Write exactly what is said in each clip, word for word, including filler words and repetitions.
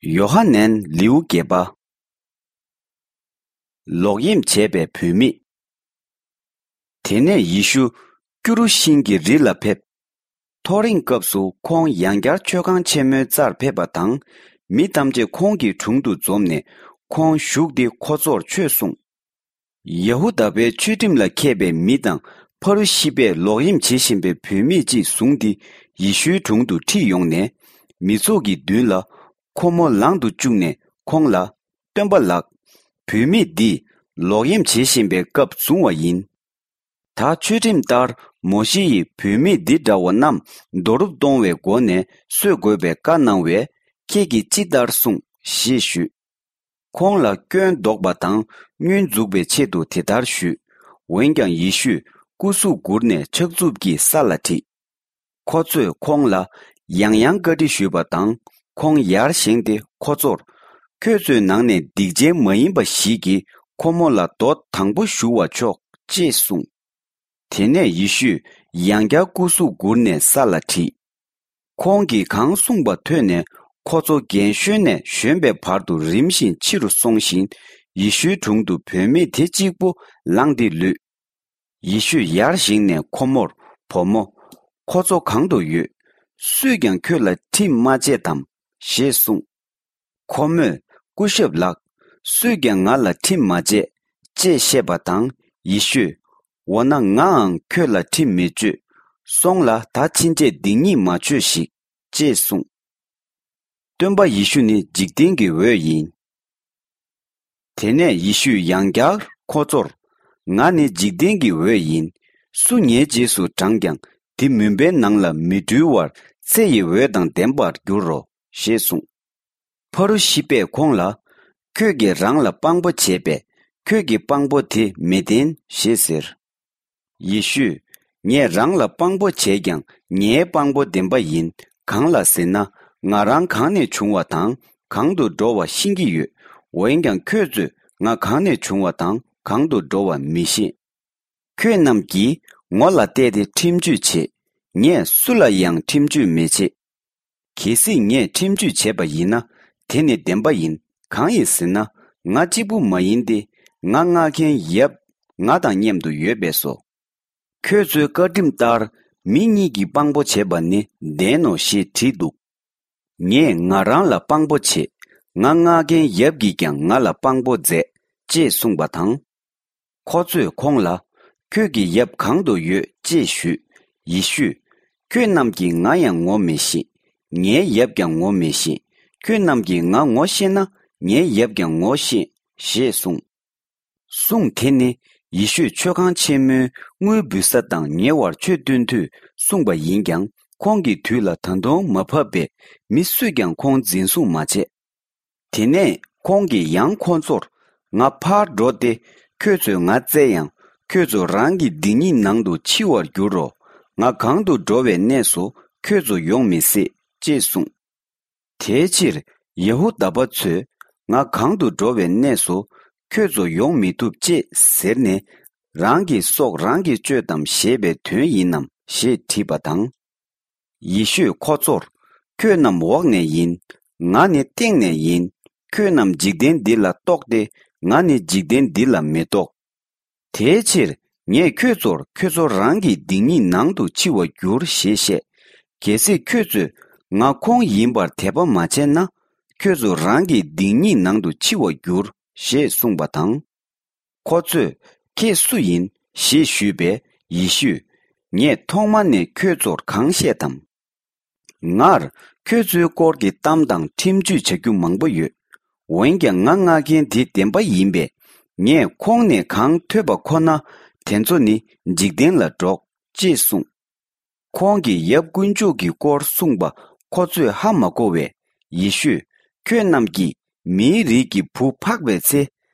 ཡོ་ཧ་ནན་ལེའུ་བརྒྱད་པ། ལོག་གཡེམ་བྱས་པའི་བུད་མེད། དེ་ནས་ཡེ་ཤུ་ཀུ་རུ་ཤིང་གི་རི་ལ་ཕེབས། ཐོ་རེངས་སྐབས་སུ་ཁོང་ཡང་བསྐྱར་མཆོད་ཁང་ཆེན་མོའི་རྩར་ཕེབས་པ་དང་། མི་ཐམས་ཅད་ཁོང་གི་དྲུང་དུ་འཛོམས་ནས་ཁོང་བཞུགས་ཏེ་ཁོ་ཚོར་ཆོས་གསུངས། ཡ་ཧུ་དཱ་པའི་ཆོས་ཁྲིམས་ལ་མཁས་པའི་མི་དང་ཕ་རུ་ཤི་པས་ལོག་གཡེམ་བྱེད་བཞིན་པའི་བུད་མེད་ཅིག་བཟུང་སྟེ་ཡེ་ཤུའི་དྲུང་དུ་ཁྲིད་ཡོང་ནས། མི་ཚོགས་ཀྱི་མདུན་ལ་ཁོ་མོ་ལང་དུ་བཅུག་ནས་ཁོང་ལ། སྟོན་པ་ལགས། བུད་མེད་འདིས་ལོག་གཡེམ་བྱེད་བཞིན་པའི་སྐབས་བཟུང་བ་ཡིན། ད་ཆོས་ཁྲིམས་ལྟར་མོ་ཤེ་ཡིས་བུད་མེད་འདི་འདྲ་བ་རྣམས་རྡོ་རུབ་གཏོང་བའི་སྒོ་ནས་གསོད་དགོས་པའི་བཀའ་གནང་བས། ཁྱེད་ཀྱིས་ཅི་ལྟར་གསུངས་ཞེས་ཞུས། ཁོང་ལ་སྐྱོན་འདོགས་པ་དང་བསྙོན་འཛུགས་པའི་ཆེད་དུ་དེ་ལྟར་ཞུས། འོན་ཀྱང་ཡེ་ཤུས་སྐུ་གཟུགས་བསྒུར་ནས་ཕྱག་མཛུབ་ཀྱིས་ས་ལ་བྲིས། ཁོ་ཚོས་ཁོང་ལ་ཡང་ཡང་བཀའ་འདྲི་ཞུས་པ་དང་། ཁོང་ཡར་བཞེངས་ཏེ་ཁོ་ཚོར། ཁྱོད་ཚོའི་ནང་ནས་སྡིག་ཅན་མ་ཡིན་པ་ཞིག་གིས་ཁོ་མོ་ལ་རྡོ་དང་པོ་གཞུ་བ་ཆོག་ཅེས་གསུངས། དེ་ནས་ཡེ་ཤུས་ཡང་བསྐྱར་སྐུ་གཟུགས་བསྒུར་ནས་ས་ལ་བྲིས། ཁོང་གིས་གང་གསུངས་པ་ཐོས་ནས་ཁོ་ཚོ་རྒན་གཞོན་ནས་གཞོན་པའི་བར་དུ་རིམ་བཞིན་ཕྱི་རུ་སོང་ཞིང་། ཡེ་ཤུའི་དྲུང་དུ་བུད་མེད་དེ་གཅིག་པུ་ལངས་ཏེ་ལུས། ཡེ་ཤུས་ཡར་བཞེངས་ནས་ཁོ་མོར། བུ་མོ། ཁོ་ཚོ་གང་དུ་ཡོད། སུས་ཀྱང་ཁྱོད་ལ་ཁྲིམས་མ་བཅད་དམ། ཞེས་གསུངས། ཁོ་མོས། སྐུ་ཞབས་ལགས། སུས་ཀྱང་ང་ལ་ཁྲིམས་མ་བཅད། ཅེས་བཤད་པ་དང་། ཡེ་ཤུས། འོ་ན་ངའང་ཁྱོད་ལ་ཁྲིམས་མི་གཅོད། སོང་ལ་ད་ཕྱིན་ཆད་སྡིག་ཉེས་མ་བྱོས་ཤིག་ཅེས་གསུངས། སྟོན་པ་ཡེ་ཤུ་ནི་འཇིག་རྟེན་གྱི་འོད་ཡིན། དེ་ནས་ཡེ་ཤུས་ཡང་བསྐྱར་ཁོ་ཚོར། ང་ནི་འཇིག་རྟེན་གྱི་འོད་ཡིན། སུ་ངའི་རྗེས་སུ་འབྲངས་ཀྱང་དེ་མུན་པའི་ནང་ལ་མི་འགྲུལ་བར་ཚེ་ཡི་འོད་དང་ལྡན་པར་འགྱུར་རོ། ཞེས་གསུངས། ཕ་རུ་ཤི་པས་ཁོང་ལ། ཁྱོད་ཀྱིས་རང་ལ་དཔང་པོ་བྱས་པས་ཁྱོད་ཀྱི་དཔང་པོ་དེ་མི་བདེན་ཞེས་ཟེར། ཡེ་ཤུས། ངས་རང་ལ་དཔང་པོ་བྱས་ཀྱང་ངའི་དཔང་པོ་བདེན་པ་ཡིན། གང་ལ་ཟེར་ན། ང་རང་གང་ནས་བྱུང་བ་དང་གང་དུ་འགྲོ་བ་ཤེས་ཀྱི་ཡོད། འོན་ཀྱང་ཁྱོད་ཚོས་ང་གང་ནས་བྱུང་བ་དང་གང་དུ་འགྲོ་བ་མི་ཤེས། ཁྱོད་རྣམས་ཀྱིས་ངོ་ལ་བལྟས་ཏེ་ཁྲིམས་གཅོད་བྱེད། ངས་སུ་ལ་ཡང་ཁྲིམས་གཅོད་མི་བྱེད། གལ་སྲིད་ངས་ཁྲིམས་གཅོད་བྱས་པ་ཡིན་ན། དེ་ནི་བདེན་པ་ཡིན། གང་ཡིན་ཟེར་ན། ང་གཅིག་པུ་མ་ཡིན་ཏེ། ང་མངགས་མཁན་ཡབ་ང་དང་མཉམ་དུ་ཡོད་པས་སོ། ཁྱོད་ཚོའི་བཀའ་ཁྲིམས་ལྟར་མི་གཉིས་ཀྱིས་དཔང་པོ་བྱས་པ་ནི་བདེན་ནོ་ཞེས་བྲིས་འདུག་ངས་ང་རང་ལ་དཔང་པོ་བྱེད། ང་མངགས་མཁན་ཡབ་ཀྱིས་ཀྱང་ང་ལ་དཔང་པོ་མཛད། ཅེས་གསུངས་པ་དང་། ཁོ་ཚོས་ཁོང་ལ། ཁྱོད་ཀྱི་ཡབ་གང་དུ་ཡོད། ཅེས་ཞུས། ཡེ་ཤུས། ཁྱོད་རྣམས་ཀྱིས་ང་ཡང་ངོ་མི་ཤེས། ངའི་ཡབ་ཀྱང་ངོ་མི་ཤེས། ཁྱོད་རྣམས་ཀྱིས་ང་ངོ་ཤེས་ན། ངའི་ཡབ་ཀྱང་ངོ་ཤེས། ཞེས་གསུངས། གསུང་དེ་ནི་ཡེ་ཤུས་མཆོད་ཁང་ཆེན་མོའི་དངུལ་འབུལ་ས་དང་ཉེ་བར་ཆོས་སྟོན་དུས་གསུངས་པ་ཡིན་ཀྱང་། ཁོང་གི་དུས་ལ་ད་དུང་མ་བབས་པས་མི་སུས་ཀྱང་ཁོང་འཛིན་བཟུང་མ་བྱས། དེ་ནས་ཁོང་གིས་ཡང་ཁོ་ཚོར། ང་ཕར་འགྲོ་སྟེ་ཁྱོད་ཚོས་ང་བཙལ་ཡང་ཁྱོད་ཚོ་རང་གི་སྡིག་ཉེས་ནང་དུ་འཆི་བར་འགྱུར་རོ། ང་གང་དུ་འགྲོ་བའི་གནས་སུ་ཁྱོད་ཚོ་ཡོང་མི་སྲིད། ཅེས་གསུངས། དེའི་ཕྱིར་ཡ་ཧུ་དཱ་པ་ཚོས། ང་གང་དུ་འགྲོ་བའི་གནས་སུ་ཁྱོད་ཚོ་ཡོང་མི་ཐུབ་ཅེས་ཟེར་ནས། རང་གི་སྲོག་རང་གིས་གཅོད་དམ་ཞེས་པའི་དོན་ཡིན་ནམ་ཞེས་དྲིས་པ་དང་། ཡེ་ཤུས་ཁོ་ཚོར། ཁྱོད་རྣམས་འོག་ནས་ཡིན། ང་ནི་སྟེང་ནས་ཡིན། ཁྱོད་རྣམས་འཇིག་རྟེན་འདི་ལ་གཏོགས་ཏེ། ང་ནི་འཇིག་རྟེན་འདི་ལ་མི་གཏོགས། དེའི་ཕྱིར་ངས་ཁྱོད་ཚོར་ཁྱོད་ཚོ་རང་གི་སྡིག་ཉེས་ནང་དུ་འཆི་བར་འགྱུར་ཞེས་བཤད། གལ་སྲིད་ཁྱོད་ཚོས་ང་ཁོང་ཡིན་པར་དད་པ་མ་བྱས་ན། ཁྱོད་ཚོ་རང་གི་སྡིག་ཉེས་ནང་དུ་འཆི་བར་འགྱུར་ཞེས་གསུངས་པ་དང་། ཁོ་ཚོས། ཁྱེད་སུ་ཡིན། ཞེས་ཞུས་པས་ཡེ་ཤུས། ངས་ཐོག་མ་ནས་ཁྱོད་ཚོར་གང་བཤད་དམ། ངར་ཁྱོད་ཚོའི་སྐོར་གྱི་གཏམ་དང་ཁྲིམས་གཅོད་བྱ་རྒྱུ་མང་པོ་ཡོད། འོན་ཀྱང་ང་མངགས་མཁན་དེ་བདེན་པ་ཡིན་པས། ངས་ཁོང་ནས་གང་ཐོས་པ་ཁོ་ན། དེ་ཚོ་ནི་འཇིག་རྟེན་ལ་སྒྲོག་ཅེས་གསུངས། ཁོང་གིས་ཡབ་དཀོན་མཆོག་གི་སྐོར་གསུངས་པ་ཁོ་ཚོས་ཧ་མ་གོ་བས། ཡེ་ཤུས། ཁྱོད་རྣམས་ཀྱིས་མིའི་རིགས་ཀྱི་བུ་འཕགས་པའི་ཚེ།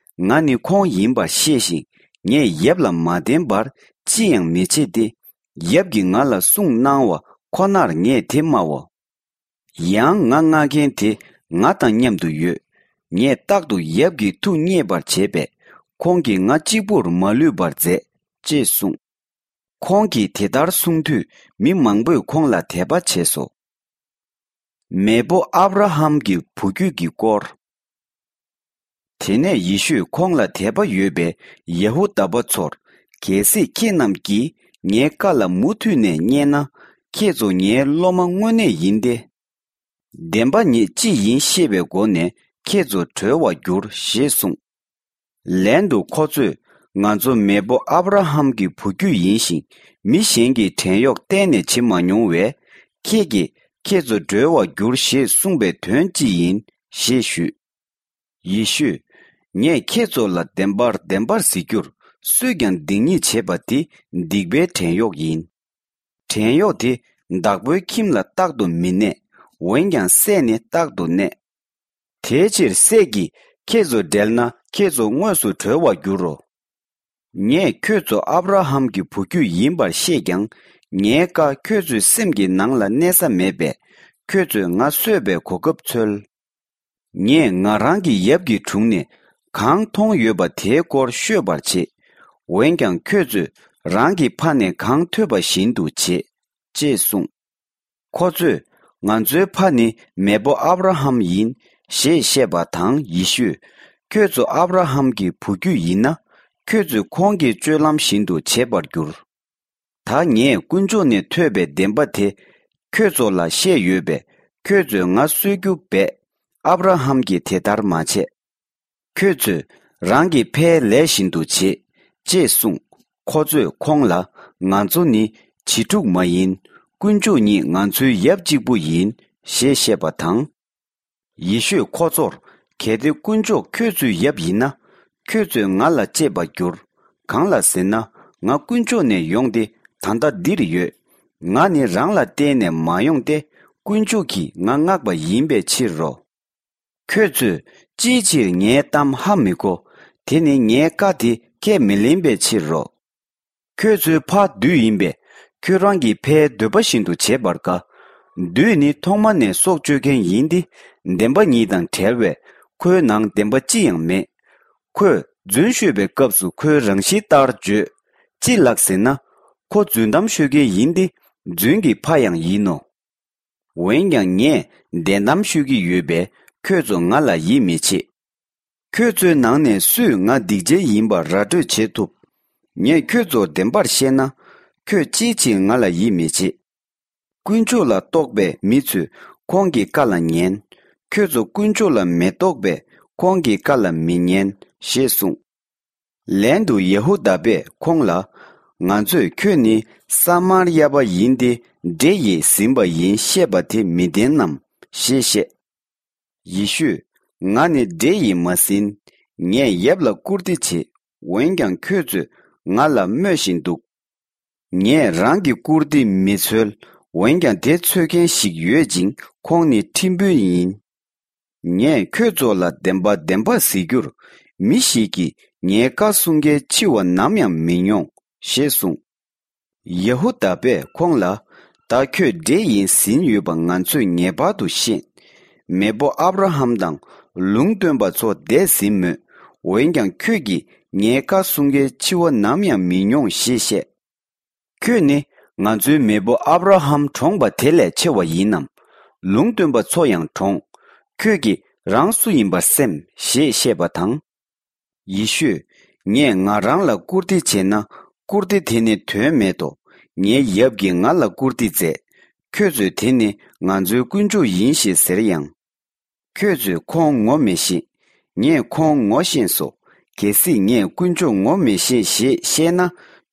ང་ནི་ཁོང་ཡིན་པར་ཤེས་ཤིང་། ངས་ཡབ་ལ་མ་བརྟེན་པར་ཅི་ཡང་མི་བྱེད་དེ། ཡབ་ཀྱིས་ང་ལ་གསུང་གནང་བ་ཁོ་ནར་ངས་དེ་སྨྲའོ། ཡང་ང་མངགས་མཁན་དེ་ང་དང་མཉམ་དུ་ཡོད། ངས་རྟག་ཏུ་ཡབ་ཀྱི་ཐུགས་མཉེས་པར་བྱེད་པས། ཁོང་གིས་ང་གཅིག་པུར་མ་ལུས་པར་མཛད། ཅེས་གསུངས། ཁོང་གིས་དེ་ལྟར་གསུངས་དུས་མི་མང་པོས་ཁོང་ལ་དད་པ་བྱས་སོ། མེས་པོ་ཨབ་ར་ཧམ་གྱི་བུ་རྒྱུད་ཀྱི་སྐོར། དེ་ནས་ཡེ་ཤུས་ཁོང་ལ་དད་པ་ཡོད་པའི་ཡ་ཧུ་དཱ་པ་ཚོར། གལ་སྲིད་ཁྱེད་རྣམས་ཀྱིས་ངའི་བཀའ་ལ་མུ་མཐུད་ནས་མཉན་ན། ཁྱེད་ཚོ་ངའི་སློབ་མ་དངོས་གནས་ཡིན་ཏེ། བདེན་པ་ཉིད་ཅི་ཡིན་ཤེས་པའི་སྒོ་ནས་ཁྱེད་ཚོ་གྲོལ་བར་འགྱུར་ཞེས་གསུངས། ལན་དུ་ཁོ་ཚོས། ང་ཚོ་མེས་པོ་ཨབ་ར་ཧམ་གྱི་བུ་རྒྱུད་ཡིན་ཞིང་། མི་གཞན་གྱིས་བྲན་གཡོག་གཏན་ནས་བྱེད་མ་མྱོང་བས། ཁྱེད་ཀྱིས་ཁྱེད་ཚོ་གྲོལ་བར་འགྱུར་ཞེས་གསུངས་པའི་དོན་ཅི་ཡིན་ཞེས་ཞུས། ཡེ་ཤུས། ངས་ཁྱེད་ཚོ་ལ་བདེན་པར་བདེན་པར་ཟེར་རྒྱུར། སུས་ཀྱང་སྡིག་ཉེས་བྱེད་པ་དེ་སྡིག་པའི་བྲན་གཡོག་ཡིན། བྲན་གཡོག་དེ་བདག་པོའི་ཁྱིམ་ལ་རྟག་ཏུ་མི་གནས། འོན་ཀྱང་སྲས་ནི་རྟག་ཏུ་གནས། དེའི་ཕྱིར་སྲས་ཀྱིས་ཁྱེད་ཚོ་བསྒྲལ་ན། ཁྱེད་ཚོ་དངོས་སུ་གྲོལ་བར་འགྱུར་རོ། ངས་ཁྱོད་ཚོ་ཨབ་ར་ཧམ་གྱི་བུ་རྒྱུད་ཡིན་པར་ཤེས་ཀྱང་། ངའི་བཀའ་ཁྱོད་ཚོའི་སེམས་ཀྱི་ནང་ལ་གནས་ས་མེད་པས། ཁྱོད་ཚོས་ང་གསོད་པའི་གོ་སྐབས་འཚོལ། ངས་ང་རང་གི་ཡབ་ཀྱི་དྲུང་ནས་གང་མཐོང་ཡོད་པ་དེའི་སྐོར་ཤོད་པར་བྱེད། འོན་ཀྱང་ཁྱོད་ཚོས་རང་གི་ཕ་ནས་གང་ཐོས་པ་བཞིན་དུ་བྱེད། ཅེས་གསུངས། ཁོ་ཚོས། ང་ཚོའི་ཕ་ནི་མེས་པོ་ཨབ་ར་ཧམ་ཡིན། ཞེས་བཤད་པ་དང་། ཡེ་ཤུས། ཁྱོད་ཚོ་ཨབ་ར་ཧམ་གྱི་བུ་རྒྱུད་ཡིན་ན། ཁྱོད་ཚོས་ཁོང་གི་སྤྱོད་ལམ་བཞིན་དུ་བྱེད་པར་འགྱུར། ད་ངས་དཀོན་མཆོག་ནས་ཐོས་པའི་བདེན་པ་དེ། ཁྱོད་ཚོ་ལ་བཤད་ཡོད་པས། ཁྱོད་ཚོས་ང་གསོད་རྒྱུ་འབད། ཨབ་ར་ཧམ་གྱིས་དེ་ལྟར་མ་བྱས། ཁྱོད་ཚོས་རང་གི་ཕའི་ལས་བཞིན་དུ་བྱེད། ཅེས་གསུངས། ཁོ་ཚོས་ཁོང་ལ། ང་ཚོ་ནི་བྱི་ཕྲུག་མ་ཡིན། དཀོན་མཆོག་ཉིད་ང་ཚོའི་ཡབ་གཅིག་པུ་ཡིན། ཞེས་བཤད་པ་དང་། ཡེ་ཤུས་ཁོ་ཚོར། གལ་ཏེ་དཀོན་མཆོག་ཁྱོད་ཚོའི་ཡབ་ཡིན་ན། ཁྱོད་ཚོས་ང་ལ་གཅེས་པར་འགྱུར། གང་ལ་ཟེར་ན། ང་དཀོན་མཆོག་ནས་ཡོང་སྟེ་ད་ལྟ་འདིར་ཡོད། ང་ནི་རང་ལ་བརྟེན་ནས་མ་ཡོང་སྟེ། དཀོན་མཆོག་གིས་ང་མངགས་པ་ཡིན་པའི་ཕྱིར་རོ། ཁྱོད་ཚོས་ཅིའི་ཕྱིར་ངའི་གཏམ་ཧ་མི་གོ། དེ་ནི་ངའི་བཀའ་དེ་ཁས་མི་ལེན་པའི་ཕྱིར་རོ། ཁྱོད་ཚོའི་ཕ་བདུད་ཡིན་པས། ཁྱོད་རང་གི་ཕའི་འདོད་པ་བཞིན་དུ་བྱེད་པར་དཀའ། བདུད་ནི་ཐོག་མ་ནས་སྲོག་གཅོད་མཁན་ཡིན་ཏེ། བདེན་པ་ཉིད་དང་བྲལ་བས། ཁོའི་ནང་བདེན་པ་ཅི་ཡང་མེད། ཁོས་རྫུན་ཤོད་པའི་སྐབས་སུ་ཁོའི་རང་གཤིས་ལྟར་བརྗོད། ཅི་ལགས་ཟེར་ན། ཁོ་རྫུན་གཏམ་ཤོད་མཁན་ཡིན་ཏེ། རྫུན་གྱི་ཕ་ཡང་ཡིན་ནོ། འོན་ཀྱང་ངས་བདེན་གཏམ་ཤོད་ཀྱི་ཡོད་པས། ཁྱོད་ཚོ་ང་ལ་ཡིད་མི་ཆེས། ཁྱོད་ཚོའི་ནང་ནས་སུས་ང་སྡིག་ཅན་ཡིན་པར་ར་སྤྲོད་བྱེད་ཐུབ། ངས་ཁྱོད་ཚོར་བདེན་པར་བཤད་ན། ཁྱོད་ཅིའི་ཕྱིར་ང་ལ་ཡིད་མི་ཆེས། དཀོན་མཆོག་ལ་གཏོགས་པའི་མི་ཚོས་ཁོང་གི་བཀའ་ལ་ཉན། ཁྱོད་ཚོ་དཀོན་མཆོག་ལ་མི་གཏོགས་པས་ཁོང་གི་བཀའ་ལ་མི་ཉན། ཞེས་གསུངས། ལན་དུ་ཡ་ཧུ་དཱ་པས་ཁོང་ལ། ང་ཚོས་ཁྱོད་ནི་ས་མར་ཡ་པ་ཡིན་ཏེ། འདྲེ་ཡིས་ཟིན་པ་ཡིན་བཤད་པ་དེ་མི་བདེན་ནམ། ཞེས་བཤད། ཡེ་ཤུས། ང་ནི་འདྲེ་ཡིས་མ་ཟིན། ངས་ཡབ་ལ་བཀུར་སྟི་བྱེད། འོན་ཀྱང་ཁྱོད་ཚོས་ང་ལ་སྨོད་བཞིན་འདུག། ངས་རང་གི་བཀུར་སྟི་མི་འཚོལ། འོན་ཀྱང་དེ་འཚོལ་མཁན་ཞིག་ཡོད་ཅིང་། ཁོང་ནི་ཁྲིམས་དཔོན་ཡིན། ངས་ཁྱོད་ཚོ་ལ་བདེན་པ་བདེན་པ་ཟེར་རྒྱུར། མི་ཞིག་གིས་ངའི་བཀའ་སྲུང་མཁན་འཆི་བ་ནམ་ཡང་མི་མྱོང་། ཞེས་གསུངས། ཡ་ཧུ་དཱ་པས་ཁོང་ལ། ད་ཁྱོད་འདྲེ་ཡིས་ཟིན་ཡོད་པ་ང་ཚོས་ངེས་པར་དུ་ཤེས། མེས་པོ་ཨབ་ར་ཧམ་དང་ལུང་སྟོན་པ་ཚོ་འདས་ཟིན་མོད། འོན་ཀྱང་ཁྱོད་ཀྱིས་ངའི་བཀའ་སྲུང་མཁན་འཆི་བ་ནམ་ཡང་མི་མྱོང་ཞེས་བཤད། ཁྱོད་ནི་ང་ཚོའི་མེས་པོ་ཨབ་ར་ཧམ་གྲོངས་པ་དེ་ལས་ཆེ་བ་ཡིན་ནམ། ལུང་སྟོན་པ་ཚོ་ཡང་གྲོངས། ཁྱོད་ཀྱིས་རང་སུ་ཡིན་པར་སེམས་ཞེས་བཤད་པ་དང་། ཡེ་ཤུས། ངས་ང་རང་ལ་བཀུར་སྟི་བྱས་ན། བཀུར་སྟི་དེ་ནི་དོན་མེད་དོ། ངའི་ཡབ་ཀྱིས་ང་ལ་བཀུར་སྟི་མཛད། ཁྱོད་ཚོས་དེ་ནི་ང་ཚོའི་དཀོན་མཆོག་ཡིན་ཞེས་ཟེར་ཡང་། ཁྱོད་ཚོས་ཁོང་ངོ་མི་ཤེས། ངས་ཁོང་ངོ་ཤེས་སོ། གལ་སྲིད་ངས་དཀོན་མཆོག་ངོ་མི་ཤེས་ཞེས་བཤད་ན།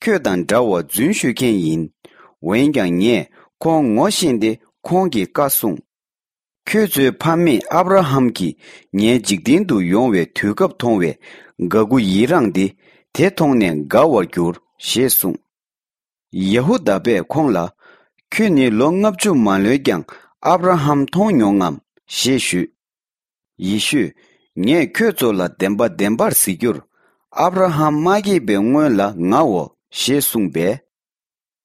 ཁྱོད་དང་འདྲ་བར་རྫུན་ཤོད་མཁན་ཡིན། འོན་ཀྱང་ངས་ཁོང་ངོ་ཤེས་ཏེ་ཁོང་གི་བཀའ་སྲུང་། ཁྱོད་ཚོའི་ཕ་མེས་ཨབ་ར་ཧམ་གྱིས་ངའི་འཇིག་རྟེན་དུ་ཡོང་བའི་དུས་སྐབས་མཐོང་བས་དགའ་མགུ་ཡི་རངས་ཏེ། དེ་མཐོང་ནས་དགའ་བར་གྱུར། ཞེས་གསུངས། ཡ་ཧུ་དཱ་པས་ཁོང་ལ། ཁྱོད་ནི་ལོ་ལྔ་བཅུ་མ་ལོན་ཀྱང་ཨབ་ར་ཧམ་མཐོང་མྱོང་ངམ། ཞེས་ཞུས། ཡེ་ཤུས། ངས་ཁྱོད་ཚོ་ལ་བདེན་པ་བདེན་པར་ཟེར་རྒྱུར། ཨབ་ར་ཧམ་མ་སྐྱེས་པའི་སྔོན་ལ་ངའོ། ཞེས་གསུངས་པས།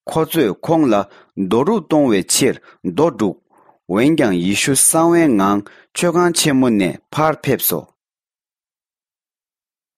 ཁོ་ཚོས་ཁོང་ལ་རྡོ་རུབ་གཏོང་བའི་ཕྱིར་རྡོ་སྒྲུག། འོན་ཀྱང་ཡེ་ཤུ་གསང་བའི་ངང་མཆོད་ཁང་ཆེན་མོ་ནས་ཕར་ཕེབས་སོ།